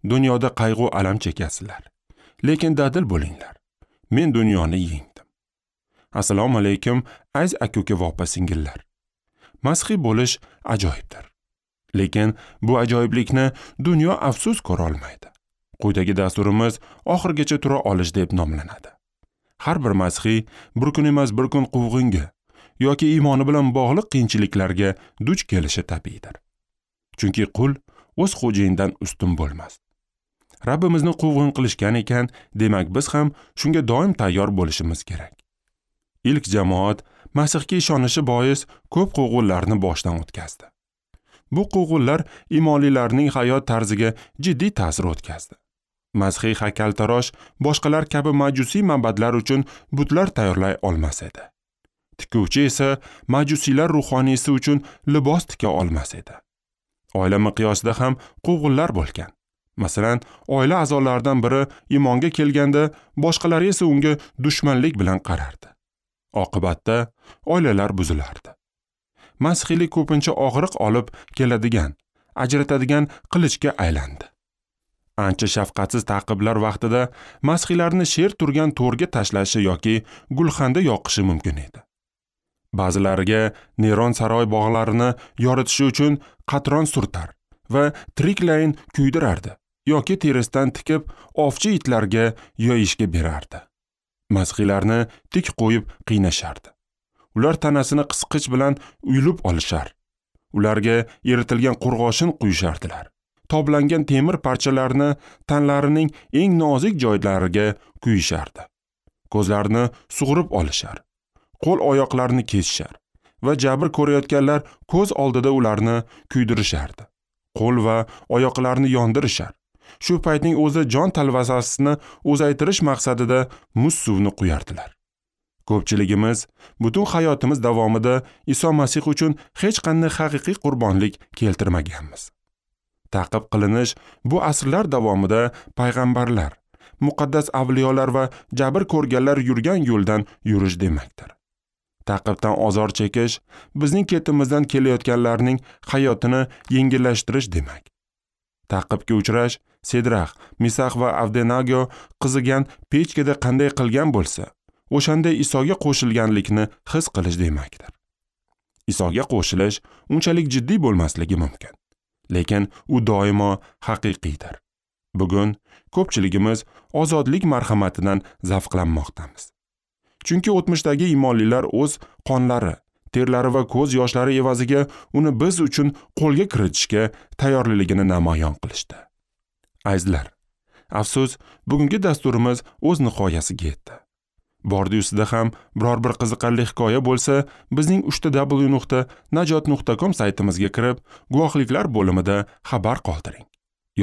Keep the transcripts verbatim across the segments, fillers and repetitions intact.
Dunyoda qayg'u alam chekasizlar. Lekin dadil bo'linglar. Men dunyoni yengdim. Assalomu alaykum, aziz aka-uka va opa-singillar. Masihiy bo'lish ajoyibdir. Lekin bu ajoyiblikni dunyo afsus ko'ra olmaydi. Quyidagi dasturimiz oxirigacha tura olish deb nomlanadi. Har bir masihiy bir kun emas bir kun quvg'inga yoki iymoni bilan bog'liq qiyinchiliklarga duch kelishi tabiiydir. Chunki qul o'z xo'jayinidan ustun bo'lmas. Rabbimizni quvg'in qilishgan ekan, demak biz ham shunga doim tayyor bo'lishimiz kerak. Ilk jamoat Masihga ishonishi bois ko'p quvg'inlarni boshdan o'tkazdi. Bu quvg'inlar imonlilarning hayot tarziga jiddiy ta'sir o'tkazdi. Masihiy haykaltarosh boshqalar kabi majusiy ma'badlar uchun butlar tayyorlay olmas edi. Tikuvchi esa majusiylar ruhoniysi uchun libos tika olmas edi. Oila miqyosida ham quvg'inlar bo'lgan. Masalan, oila a'zolaridan biri iymonga kelganda, boshqalari esa unga dushmanlik bilan qarardi. Oqibatda oilalar buzilardi. Masihiylik ko'pincha og'riq olib keladigan, ajratadigan qilichga aylandi. Ancha shafqatsiz ta'qiblar vaqtida masihiylarni sher turgan to'rga tashlashi yoki gulxanda yoqishi mumkin edi. Ba'zilariga Neron saroy bog'larini yoritishi uchun qatron surtar va tiriklayin kuydirardi yoki terisidan tikib ovchi itlarga yoyishga berardi. Masihiylarni tik qo'yib qiynashardi. Ular tanasini qisqich bilan uyulib olishar. Ularga eritilgan qo'rg'oshin quyishardilar. Toblangan temir parchalarini tanlarining eng nozik joylariga quyishardi. Ko'zlarini sug'urib olishar. Qo'l oyoqlarini kesishar va jabr ko'rayotganlar ko'z oldida ularni kuydirishardi. Qo'l va oyoqlarini yondirishar. Shu paytning o'zi jon talvasasini uzaytirish maqsadida muz suvni quyardilar. Ko'pchiligimiz butun hayotimiz davomida Iso Masih uchun hech qanday haqiqiy qurbonlik keltirmaganmiz. Ta'qib qilinish bu asrlar davomida payg'ambarlar, muqaddas avliyolar va jabr ko'rganlar yurgan yo'ldan yurish demakdir. Ta'qibdan ozor chekish bizning ketimizdan kelayotganlarning hayotini yengillashtirish demak. Ta'qibga uchrash Sedrax, Misax va Avdenago qizigan pechkada qanday qilgan bo'lsa, o'shanday Isoga qo'shilganlikni his qilish demakdir. Isoga qo'shilish unchalik jiddiy bo'lmasligi mumkin, lekin u doimo haqiqiydir. Bugun ko'pchiligimiz ozodlik marhamatidan zavqlanmoqdamiz. Chunki o'tmishdagi iymonlilar o'z qonlari, terlari va ko'z yoshlari evaziga uni biz uchun qo'lga kiritishga tayyorligini namoyon qilishdi. Azizlar, afsus, bugungi dasturimiz o'z nihoyasiga yetdi. Bordi-yu sizda ham biror bir qiziqarli hikoya bo'lsa, bizning uchta w nuqta najot nuqta com saytimizga kirib, guvohliklar bo'limida xabar qoldiring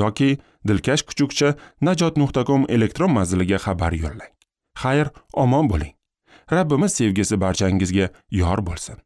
yoki dilkash kuchukcha najot nuqta com elektron manziliga xabar yo'llang. Xayr, omon bo'ling. Rabbimiz sevgisi barchangizga yor bo'lsin.